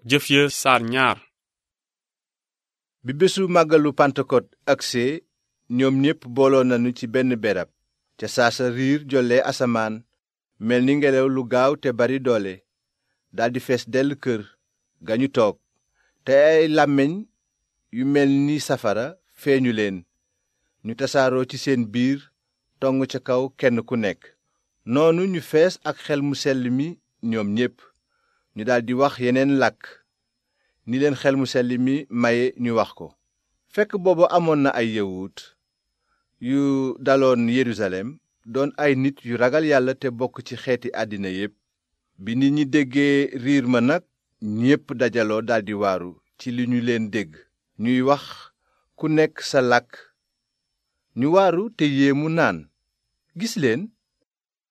jëf ya saar ñaar. bi bésu màggalu Pentecot agsee ñoom ñépp booloo nañu ci benn berab ca saasa riir jolle asamaan mel ni ngelaw lu gaaw te bari doole daldi fees dell kër ga ñu toog te ay làmmiñ yu mel ni safara feeñu leen ñu tasaaroo ci seen biir tong ca kaw kenn ku nekk noonu ñu fees ak xel mu sell mi ñoom ñépp ñu daldi wax yeneen làkk ni leen xel mu sell mi maye ñu wax ko. fekk boobu amoon na ay yawut yu daloon Yerusalem doon ay nit yu ragal yàlla te bokk ci xeeti àddina yépp bi nit ñi déggee riir ma nag ñépp dajaloo daldi waaru ci li ñu leen dégg ñuy wax ku nekk sa làkk ñu waaru te yéemu naan gis leen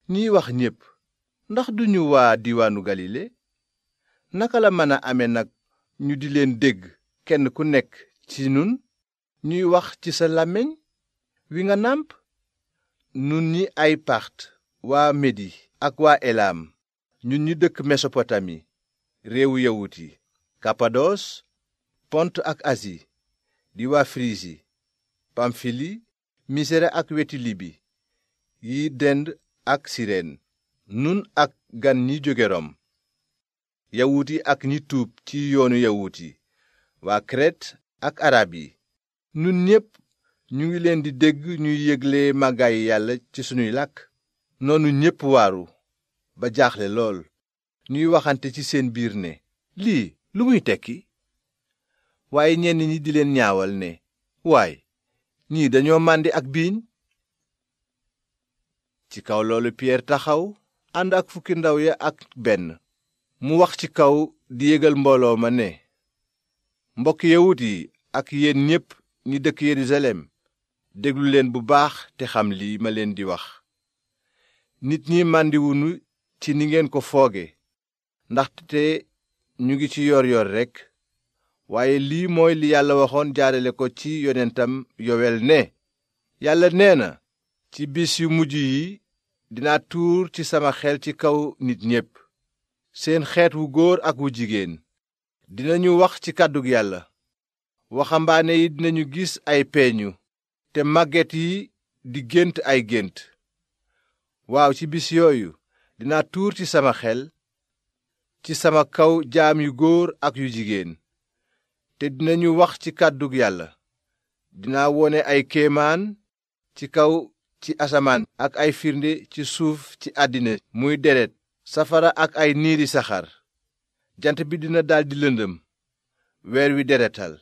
ñiy wax ñépp ndax duñu waa diwaanu Galile naka la mën a ame nag ñu di leen dégg kenn ku nekk ci nun ñuy wax ci sa làmmiñ wi nga nàmp nun ñi ay Part waa Medi ak waa Elam ñun ñi dëkk Mesopotami réewu yawut yi Kapados Pont ak Asi di waa Firisi Pamfili Misere ak weti Libi yi dend ak Sireen nun ak gan ñi jóge Rom yawut yi ak ñi tuub ci yoonu yawut yi waa Kret ak arab yi nun ñépp ñu ngi leen di dégg ñuy yégle màggaayu yàlla ci sunuy làkk noonu ñépp waaru ba jaaxle lool ñuy waxante ci seen biir ne lii lu muy tekki waaye ñenn ñi di leen ñaawal ne waay ñii dañoo màndi ak biiñ ci kaw loolu Piyeer taxaw ànd ak fukki ndaw ya ak benn mu wax ci kaw di yégal mbooloo ma ne mbokk yawut yi ak yéen ñépp ñi dëkk Yerusalem déglu leen bu baax te xam lii ma leen di wax nit ñi màndiwuñu ci ni ngeen ko fooge ndaxte ñu ngi ci yoor rekk waaye lii mooy li yàlla waxoon jaarale ko ci yonentam Yowel ne yàlla nee na ci bis yu mujj yi dinaa tuur ci sama xel ci kaw nit ñépp seen xeet wu góor ak wu jigéen dinañu wax ci kàddug yàlla waxambaane yi dinañu gis ay peeñu te màgget yi di gént ay gént waaw ci bis yooyu dinaa tuur ci sama xel ci sama kaw jaam yu góor ak yu jigéen te dinañu wax ci kàddug yàlla dinaa wone ay kéemaan ci kaw ci asamaan ak ay firnde ci suuf ci àddina muy deret safara ak ay niiri saxaar jant bi dina daldi lëndëm weer wi deretal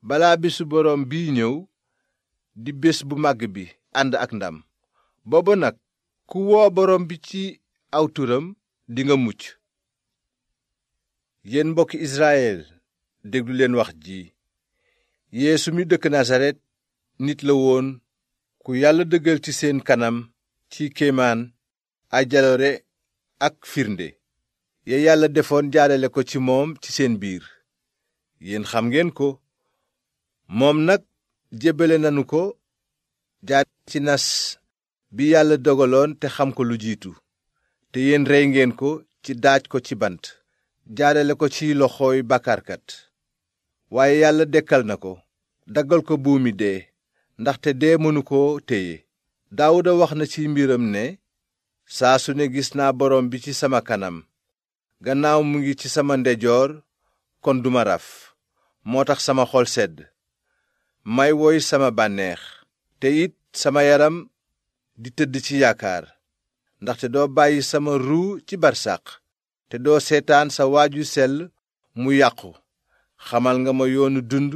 balaa bésu boroom bii ñëw di bés bu màgg bi ànd ak ndam booba nag ku woo boroom bi ci aw turam dinga mucc yéen mbokki Israyel déglu leen wax ji Yeesu mi dëkk Nasaret nit la woon ku yàlla dëggal ci seen kanam ci kéemaan ay jaloore ak firnde ya yàlla defoon jaarale ko ci moom ci seen biir yéen xam ngeen ko moom nag jébbale nanu ko jaar ci nas bi yàlla dogaloon te xam ko lu jiitu te yéen rey ngeen ko ci daaj ko ci bant jaarale ko ci loxooy bàkkaarkat waaye yàlla dekkal na ko daggal ko buumi dee ndaxte dee mënu koo téye Daawuda wax na ci mbiram ne saa su ne gis naa borom bi ci sama kanam gannaaw mu ngi ci sama ndeyjoor kon duma raf moo tax sama xol sedd may woy sama bànneex te it sama yaram di tëdd ci yaakaar ndaxte doo bàyyi sama ruu ci barsàq te doo seetaan sa waaju sell mu yàqu xamal nga ma yoonu dund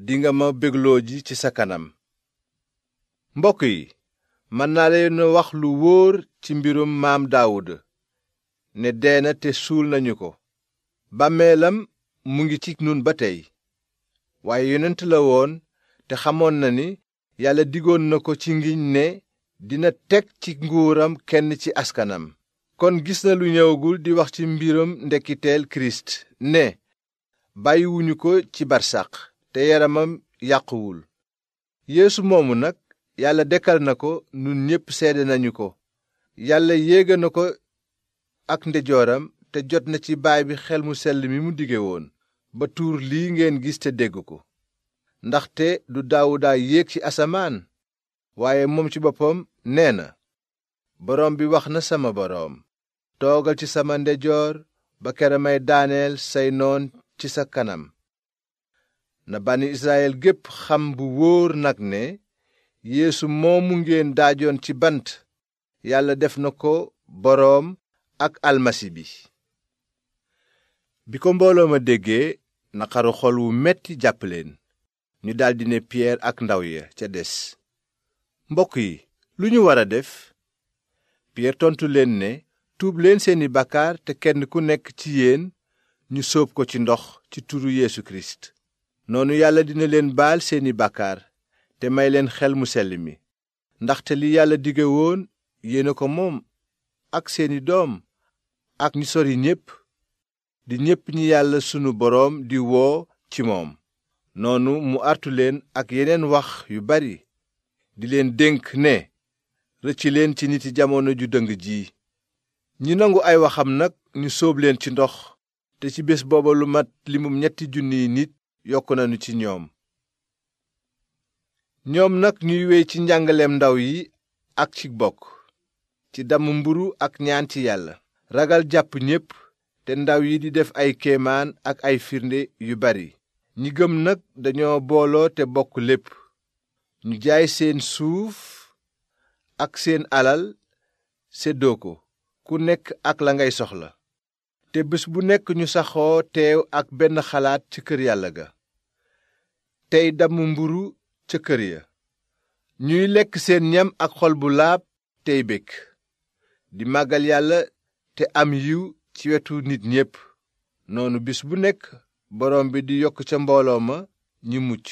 dinga ma bégloo ji ci sa kanam mbokk yi mën naa leen wax lu wóor ci mbirum maam Daawuda ne dee na te suul nañu ko bàmmeelam mu ngi ci nun ba tey waaye yonent la woon te xamoon na ni yàlla digoon na ko ci ngiñ ne dina teg ci nguuram kenn ci askanam kon gis na lu ñëwagul di wax ci mbiram ndekkiteel Kirist ne bàyyiwuñu ko ci barsàq te yaramam yàquwul Yeesu moomu nag yàlla dekkal na ko nun ñépp seede nañu ko yàlla yéega na ko ak ndeyjooram te jot na ci baay bi xel mu sell mi mu dige woon ba tuur lii ngeen gis te dégg ko. ndaxte du Daawuda yéeg ci asamaan waaye moom ci boppam nee na, boroom bi wax na sama boroom, toogal ci sama ndeyjoor ba kera may daaneel say noon ci sa kanam. na bànni Israyil gépp xam bu wóor nag ne Yeesu moomu ngeen daajoon ci bant Yàlla def na ko boroom ak almasi bi. bi ko mbooloo ma déggee naqaru xol wu metti jàpp leen. ñu daldi ne Piyeer ak ndaw ya ca des, mbokk yi, lu ñu war a def? Piyeer tontu leen ne, tuub leen seeni bàkkaar te kenn ku nekk ci yéen ñu sóob ko ci ndox ci turu Yeesu Kirist. noonu Yàlla dina leen baal seeni bàkkaar te may leen xel mu sell mi. ndaxte li Yàlla dige woon yéena ko moom ak seeni doom ak ñi sori ñépp, di ñépp ñi Yàlla sunu boroom di woo ci moom. noonu mu artu leen ak yeneen wax yu bari, di leen dénk ne rëcc leen ci niti jamono ju dëng ji. ñi nangu ay waxam nag ñu sóob leen ci ndox, te ci bés booba lu mat limum 3,000 nit yokk nañu ci ñoom. ñoom nag ñuy wéy ci njàngaleem ndaw yi ak ci bokk, ci damm mburu ak ñaan ci Yàlla. ragal jàpp ñépp, te ndaw yi di def ay kéemaan ak ay firnde yu bari. ñi gëm nag dañoo booloo te bokk lépp. ñu jaay seen suuf ak seen alal séddoo ko, ku nekk ak la ngay soxla. te bés bu nekk ñu saxoo teew ak benn xalaat ci kër Yàlla ga, tey damm mburu ca kër ya. ñuy lekk seen ñam ak xol bu laab tey bég, di màggal Yàlla te am yiw ci wetu nit ñépp. noonu bis bu nekk boroom bi di yokk ca mbooloo ma ñi mucc.